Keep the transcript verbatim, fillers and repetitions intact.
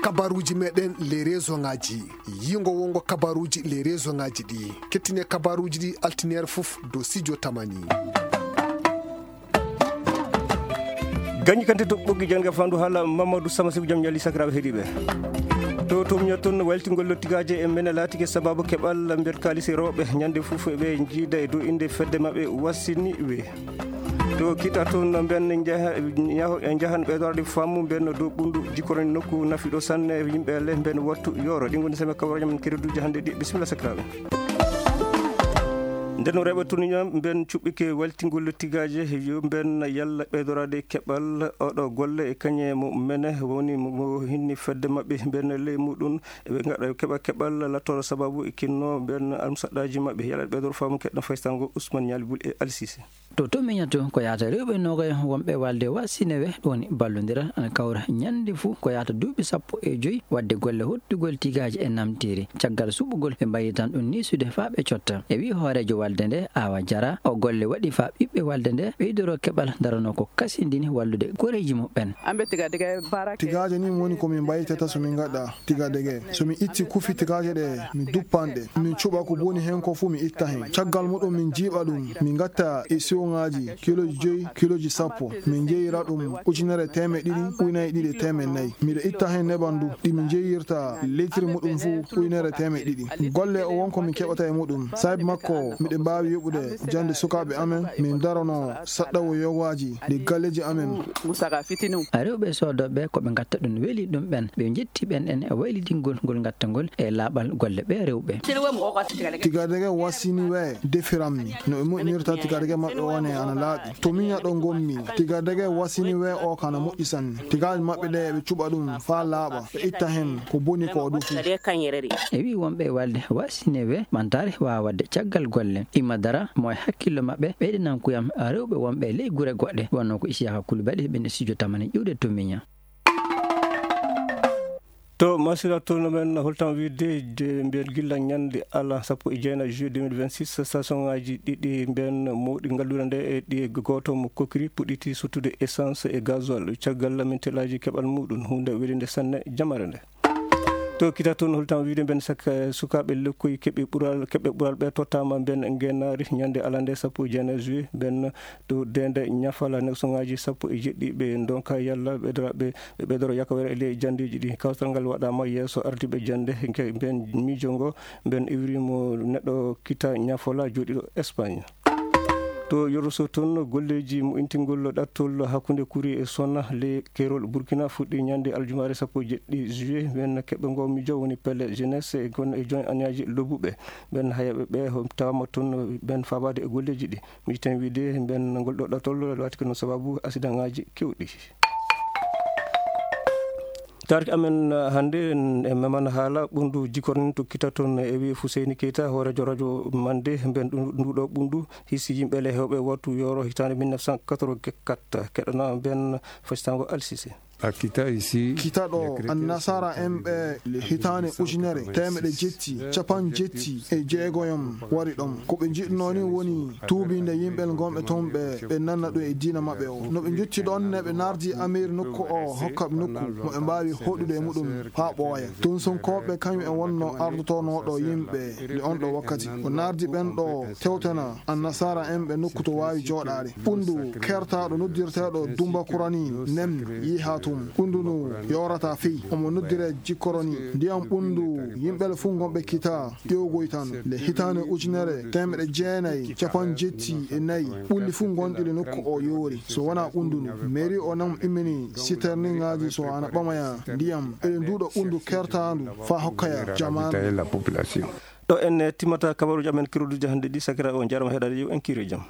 Kabaruuji meɗen les réseau ngaji. Yingo wongo kabaruuji les réseau ngaji ɗi. Kettine kabaruuji ɗi altineer fof dow studio Tamani. Gañi kante to ɓoggi jannga fandu haala Mamadou Sama Sibu jam ñali sakiraaɓe heɗiiɓe. To tum ñottun waltingol lottigaaje e mene laatike sababu keɓal nder kaalisi rewɓe ñande fof ɓe njiida e dow innde fedde maɓɓe wasini we. To kita toon no mben njaha-, njaho-, njahan ɓeydorde faamu mben dow ɓundu jikkorani nokku nafiɗo sanne yimɓe le mben wattu yoro. Ɗi ngoni seme kawrañam kereduji hannde ɗi. Bisimilla sakiraaɓe. Nden rewɓe tuniñam mben cuɓɓike waltingol tigaaje yo mben yalla ɓeydorade keɓal oɗo golle e kañe mo mene woni mo hinni fedde maɓɓe mben ley muɗum. Ɓe ngaɗa keɓa keɓal lattoro sababu e kinno mben almusaɗɗaji maɓɓe. Yalla ɓeydoro faamu keɗɗo faysango Ousmane Ñaali Bul e Alisise. To to miñato ko yahata rewɓe nogoyo wonɓe walde wa sinewe ɗoni ballodira ana kawra ñande fuu ko yahata duuɓi sappo e joyi wadde golle hottugol tigaaji e namtiri. Caggal suɓugol ɓe mbayi tan ɗum nisude faa ɓe cotta. E wi hooreejo walde nde Awa Jara o golle waɗi faa ɓiɓɓe walde nde ɓeydoro keɓal darano ko kasindini wallude goreeji muɓɓen. Tigaaje ni woni ko min mbaytata so min ngaɗa. Tigadege. So mi itti kufi tigaje ɗe, mi duppan ɗe. Min cuɓa ko boni hen ko fuu mi itta hen. Caggal muɗum min jiiɓa ɗum, min ngatta e siwŋaaji kiloji joyi, kiloji sappo. Min jeyira ɗum ujunere teemeɗe ɗiɗi, ujunere ɗiɗi e teemeɗe nayi. Miɗo itta hen neban du, ɗi min jeyirta litiri muɗum fuu ujunere teemeɗe ɗiɗi. Golle o won ko min keɓata e muɗum. Saabi makko, miɗen mbaawi yoɓude jannde sukaaɓe amen, min darono saɗɗawo yogaaji ɗi galleeji amen. Rewɓe soodooɓe ko ɓe ngatta ɗum weli ɗum ɓen. Ɓe njetti ɓen en e waylidingol ngol ngattangol e laaɓal golle ɓe rewɓe. Tigadege wasini we defirammi no ɓe moƴƴinirta tigadege maɓɓe one ana laaɓi. To miña ɗo ngonmi, tigadege wasini we o kana moƴƴi sanne. Tigaaji maɓɓe ɗe ɓe cuɓa ɗum faa laaɓa, ɓe itta hen ko boni ko o dufi. E wi wonɓe e walde wasine we ɓantaare waawa waɗde caggal golle. Imma dara mo e hakkillo maɓɓe ɓeyɗinankuyam rewɓe wonɓe ley gure goɗɗe wonno ko Isiyaka Kulubali ɓen e studio Tamani ƴiwde to miña. To masira tourno men holtan wiide de mbiyen gilla ñande ala sappo e jeenayi juillet deux mille vingt-six, station ngaji ɗiɗi mbiyen mawɗi ngalluɗo nde e ɗi gooto mo kokiri puɗɗiti sottude essence e gasoil caggal lamintelaaji keɓal muɗum, hunde welinde sanne jamare nde. To kita toon holtan wiide mbiyen saka sukaaɓe lekkoy keɓe ɓural keɓe ɓural ɓe tottama mbiyen ngenaari ñande alande sappo e jeenayi juillet mbiyen to dende ñafala neksoŋaaji sappo e jeɗɗi ɓe ndonka yalla ɓe dora ɓe ɓe ɓeydoro yakawere e ley janndeeji ɗi. Kawtal ngal waɗaama yeeso ardiiɓe jannde, nke ɓeen miijo ngo, ɓeen iwri mo neɗɗo Kita Ñafola jooɗiiɗo Espagne. To Yoroso toon, golleeji mo'intingol ɗattol hakkunde kuri e sona ley keerol Burkina fuɗɗi ñande aljumaare sappo e jeɗɗi juillet. Ɓeen keɓɓe ngo miijo woni pelle jeunesse e gon e join aniyaaji lobbuɓe. Ɓeen hayaaɓe ɓe tawaama toon ɓeen faabaade e golleeji ɗi. Miijten wiide ɓeen ngol ɗo ɗattol laatike no sababu asidaŋaaji keewɗi. Taarki amen hannde en memana haala ɓunndu jikkornin to kita toon e wi Fuseyni Keita hooreejo radio mande mben nduɗo ɓunndu hisi yimɓe le hewɓe wattu yoro hitande mille neuf cent quatre-vingt-quatre keɗana mben fasitango alsise. Kita ɗo annasara en ɓe le hitande ujunere temeɗe jetti capan jetti e jeegoyam wari ɗon ko ɓe jiɗno ni woni tuubinde yimɓe gonɓe toon ɓe ɓe nanna ɗum e diina maɓɓe o no ɓe jotti ɗon ne ɓe nardi amir nokku o hokkaɓe nokku mo ɓe mbaawi hoɗude e muɗum haa ɓooya. Tun sunkooɓe kañum en wonno ardotonooɗo yimɓe nde on ɗo wakkati o nardi ɓen ɗo tewtana annasara en ɓe nokku to waawi jooɗaade. Ɓunndu kertaaɗo noddirteeɗo Dumba Kurani nem yiha tun ɓunndu ndu yoorata fey omo noddire jikkoroni ndiyam ɓunndu yimɓe le fuu ngonɓe kita ƴewgoy tan le hitaande ujunere teemeɗe jeenayi capan jetti e nayi ɓulli fuu ngonɗi le nokku o yoori so wonaa ɓunndu ndu mairie o nam immini siterniŋaaji so ana ɓamaya ndiyam eɗe nduuɗo ɓunndu kertaandu faa hokkaya jamaanu. Ɗo en timmata kabaruuji amen kiroduji hannde ɗi sakira o jarama heɗade yo en kiire jam.